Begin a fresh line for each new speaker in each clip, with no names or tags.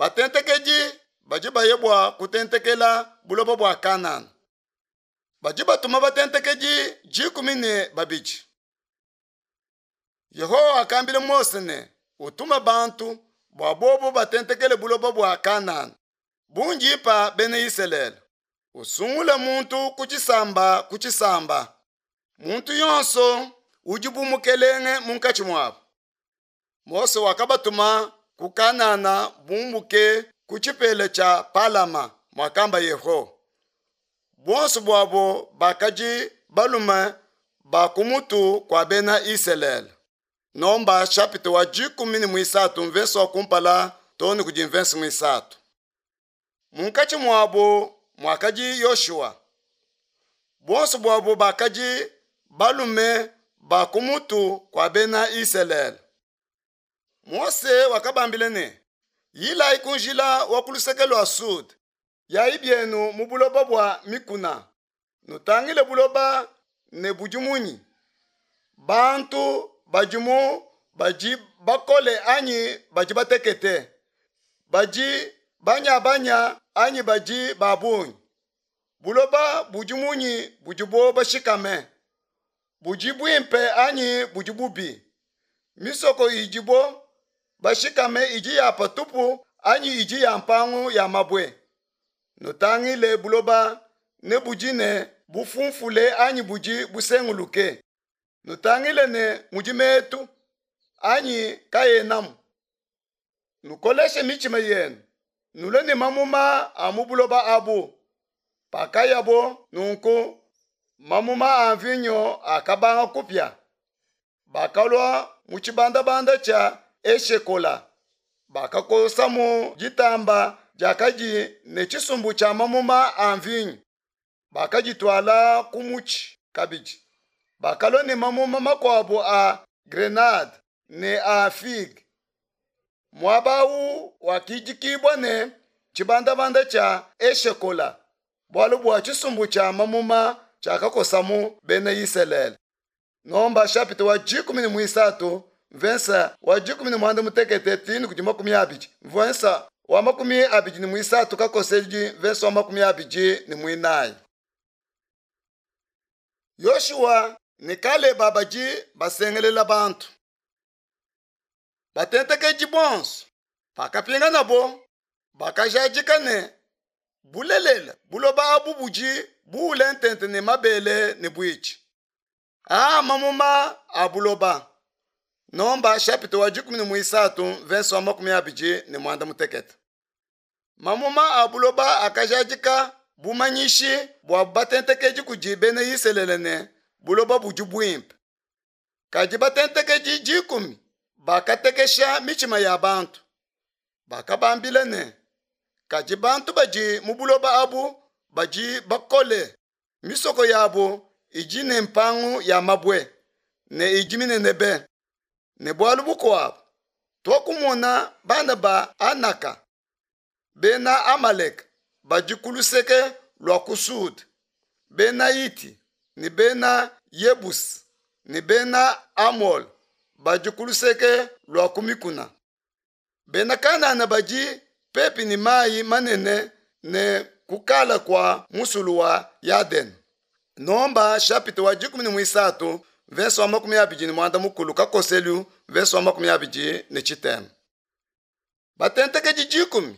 Batentekedi badi baya bua kutentekela buloba bua Kanana. Badi batuma batentekedi 12. Yehowa wakambila Mose ne, Utume bantu bua bobo batentekele buloba bua Kanana, bundi mpa bena Isalele. Usungule muntu ku tshisamba ku tshisamba, muntu yonso udi bu mukelenge munkatshi muabo. Mose wakabatuma ku Kanana bumbuke ku tshipela tshia Palama muakamba Yehowa. Buonso buabo bakadi balume ba ku mutu kua bena Isalele. Nomba chapitre wa 13 mvese wa kumpala too ne kudi mvese muisatu. Munkatshi muabo muakadi Yoshua. Buonso buabo bakadi balume ba ku mutu kua bena Isalele. Mose wakabambila ne, Yilayi ku njila wa ku luseke lua Sud, yayi bienu mu buloba bua mikuna, nutangile buloba ne budi munyi, bantu badimu badi bakole anyi badi batekete, badi banyabanya anyi badi ba bungi, buloba budi munyi budibo bashikame, budi buimpe anyi budi bubi, misoko idibo bashikame idi ya patupu anyi idi ya mpangu ya mabue. Nutangile buloba ne budi ne bufunfule anyi budi busenguluke. Nutangile ne mudi metu anyi kaenamu. Nukoleshe mitshima yenu, nulue ne mamuma a mu buloba abu. Pakayabo nunku, mamuma a mvinyo akabanga kupia. Bakalua mu tshibandabanda tshia Eshekola, bakakosamu ditamba diakadi ne tshisumbu tshia mamuma a mvinyo, bakadituala ku mutshi kabidi. Bakalua ne mamuma makuabu a grenade ne a figue. Muaba au wakidikibua ne tshibandabanda tshia Eshekola, bualu bua tshisumbu tshia mamuma tshiakakosamu bena Isalele. Nomba chapitre wa 13 mvensa wa 16 tini kudi 20 mvensa wa 23 kakosedi mvensa wa 24. Yoshua ne Kaleba badi basengelela bantu. Batentekedi bonso pakapinganabo bakajadika ne bulelela buloba abu budi buule ntente ne mabele ne buitshi. Aa mamuma a buloba. Nomba chapitre wa 13 verse wa 26. Mamuma a buloba akajadika bumanyishi bua batentekedi kudi bena Isalele ne buloba budi buimpe. Kadi batentekedi 10 bakatekesha mitshima ya bantu. Bakabambila ne, kadi bantu badi mu buloba abu badi bakole, misoko yabo idi ne mpangu ya mabue ne idi minene be. Ne bualu bukuabu, tuakumona bana ba Anaka, bena Amaleka badi ku luseke lua ku Sud, bena Hiti ne bena Yebusi ne bena Amole badi ku luseke lua ku mikuna. Bena Kanana badi pepi ne mayi manene ne kukala kua musulu wa Yadene. Nomba chapitre wa 13 verse wa 24 kakoselu verse wa 23. Batentekedi 10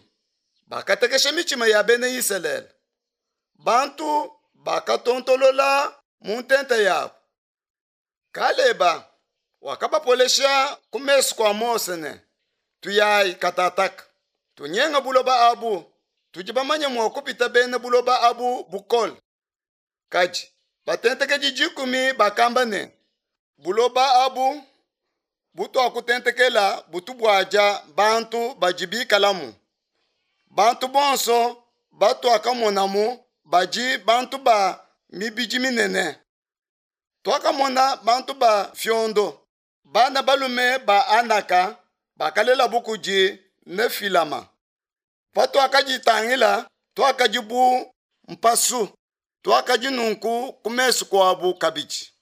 bakatekesha mitshima ya bena Isalele. Bantu bakatontolola mu ntenta yabo. Kaleba wakabapolesha ku mesu kua Mose ne, tuyayi katataka, tunyenga buloba abu, tudi bamanye mua kupita bena buloba abu bukole. Kadi batentekedi 10 bakamba ne, buloba abu butuakutentekela butu buadia bantu badi bikalamu. Bantu bonso batuakamonamu badi bantu ba mibidi minene. Tuakamona bantu ba fiondo, bana balume ba Anaka bakalelabu kudi Nefilama. Patuakaditangila, tuakadi bu mpasu, tuakadi nunku ku mesu kuabu kabidi.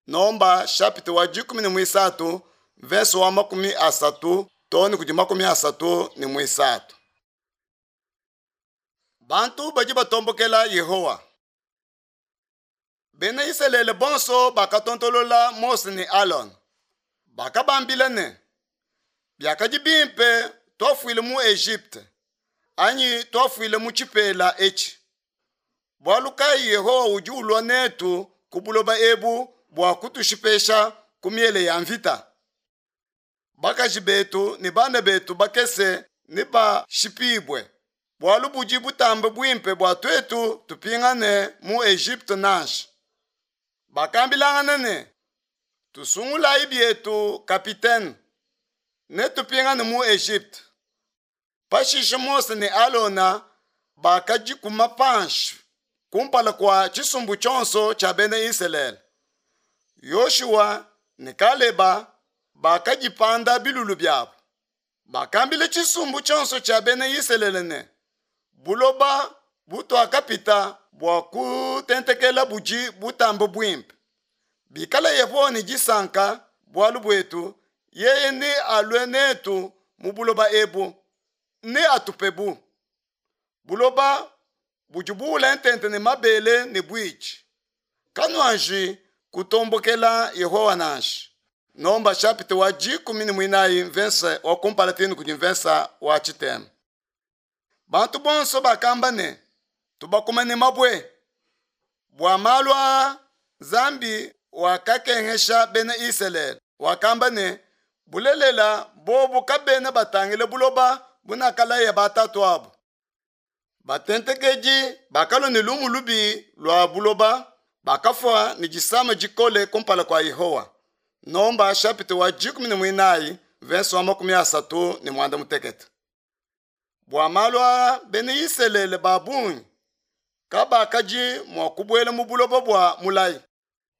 Nomba chapitre wa 13 verse wa 30 too ne kudi 33. Bantu badi batombokela Yehowa. Bena Isalele bonso bakatontolola Mose ne Alona. Bakabambila ne, Biakadi bimpe tuafuile mu Egypte anyi tuafuile mu tshipela etshi. Bualu kayi Yehowa udi ulua netu ku buloba ebu bua kutushipesha ku miele ya mvita? Bakaji betu ne bana betu bakese nebashipibue. Bualu budi butambe buimpe bua tuetu tupingane mu Egypte nansha. Bakambilangana ne, Tusungulayi bietu kapitene, ne tupingane mu Egypte. Pashishe Mose ne Alona bakadikuma panshi kumpala kua tshisumbu tshionso tshia bena Isalele. Yoshua ne Kaleba bakadipanda bilulu biabu. Bakambila tshisumbu tshionso tshia bena Isalele ne, Buloba butuakapita bua kutentekela budi butambe buimpe. Bikala Yehowa ne disanka bualu buetu, yeye nealue netu mu buloba ebu, neatupebu. Buloba budi buule ntente ne mabele ne buitshi. Kanuanji kutombokela Yehowa nansha. Nomba shapita wa 14 mvensa wa kumpala tenu kudi mvensa wa tshitema. Bantu bonso bakamba ne, tubakume ne mabue. Bua malu aa Nzambi wakakengesha bena Isalele, wakamba ne, bulelela bobu kabena batangile buloba bunakalaya batatuabu. Batentekedi bakalua ne lumu lubi lua buloba, bakafua ne disama dikole kumpala kua Yehowa. Nomba shapita wa 14 verse wa 38. Bua malu aa bena Isalele ba bungi kabakadi mua kubuela mu buloba bua mulayi,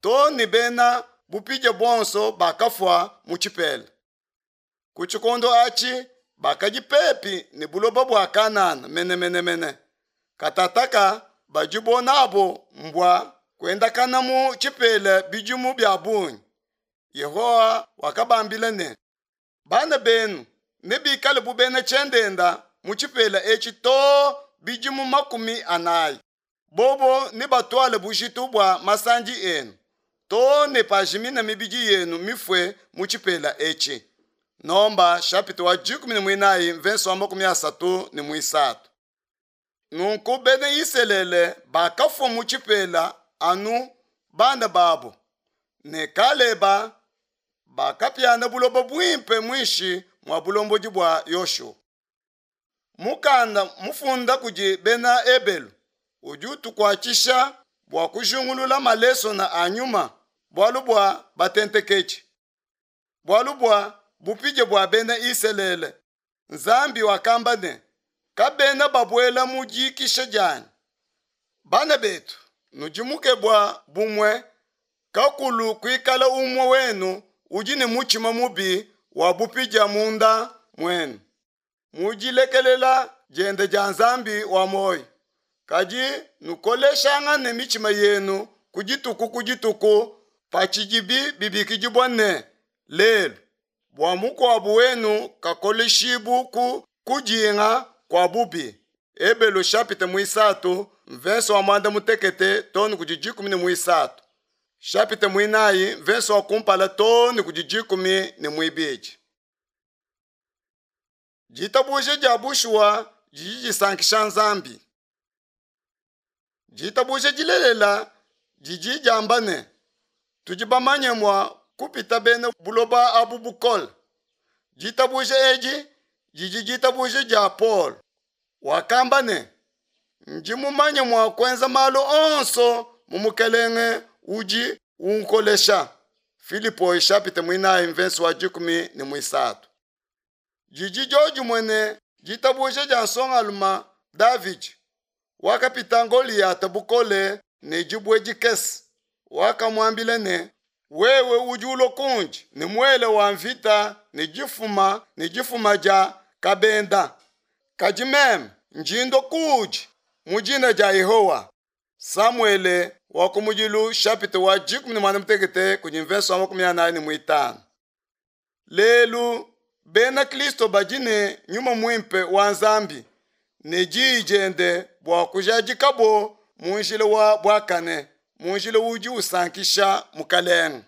too ne bena bupidia bonso bakafua mu tshipela. Ku tshikondo atshi bakadi pepi ne buloba bua Kanana menemenemene. Katataka badibo nabo mbua kuendakana mu tshipela bidimu bia bungi. Yehowa wakabambila ne, Bana benu nebikale bu bena tshiendenda mu tshipela etshi too bidimu 40. Bobo nebatuale bujitu bua masandi enu too ne pajimina mibidi yenu mifue mu tshipela etshi. Nomba shapita wa 14 mvenso wa 33. Nunku bena Isalele bakafua mu tshipela anu bana babu ne Kaleba bakapiana buloba buimpe muinshi mua bulombodi bua Yoshua. Mukanda mufunda kudi bena Ebelu udi utukuatshisha bua kujingulula malesona a nyuma bualu bua batentekedi, bualu bua bupidia bua bena Isalele. Nzambi wakamba ne, kabena babuela mu dikisha dianyi. Bana betu, nudimuke bua bumue kakulu kuikala umue wenu udi ne mutshima mubi wa bupidia munda muenu, mu dilekelela diende dia Nzambi wa muoyo. Kadi nukoleshangane mitshima yenu ku dituku ku dituku patshidibi bibikidibua ne, Lelu, bua mukuabu wenu kakoleshibu ku kudinga kua bubi. Ebelu shapita muisatu mvenso wa 16 too ne kudi 13. Shapita muinayi mvenso wa kumpala too ne kudi 12. Ditabuja dia bushuwa didi disankisha Nzambi. Ditabuja dilelela didi diamba ne, tudi bamanye mua kupita bena buloba abu bukole. Ditabuja edi didi ditabuja dia Paul. Wakamba ne, ndi mumanye mua kuenza malu onso mu Mukelenge udi unkolesha. Filipoi shapita muinayi mvensi wa 13. Didi diodimue ne ditabuja dia nsongalume Davidi wakapita Goliyata bukole ne dibue dikese. Wakamuambila ne, wewe udi ulua kundi ne muele wa mvita ne difuma ne difuma dia kabenda, kadi meme ndi ndua kuudi mu dina dia Yehowa. Samuele wa kumudilu shapita wa 16 kudi mvenso wa 45. Lelu bena Kristo badi ne nyuma muimpe wa Nzambi ne diyi diende bua bua kujadikabo mu njila wa buakane, mu njila udi usankisha Mukelenge.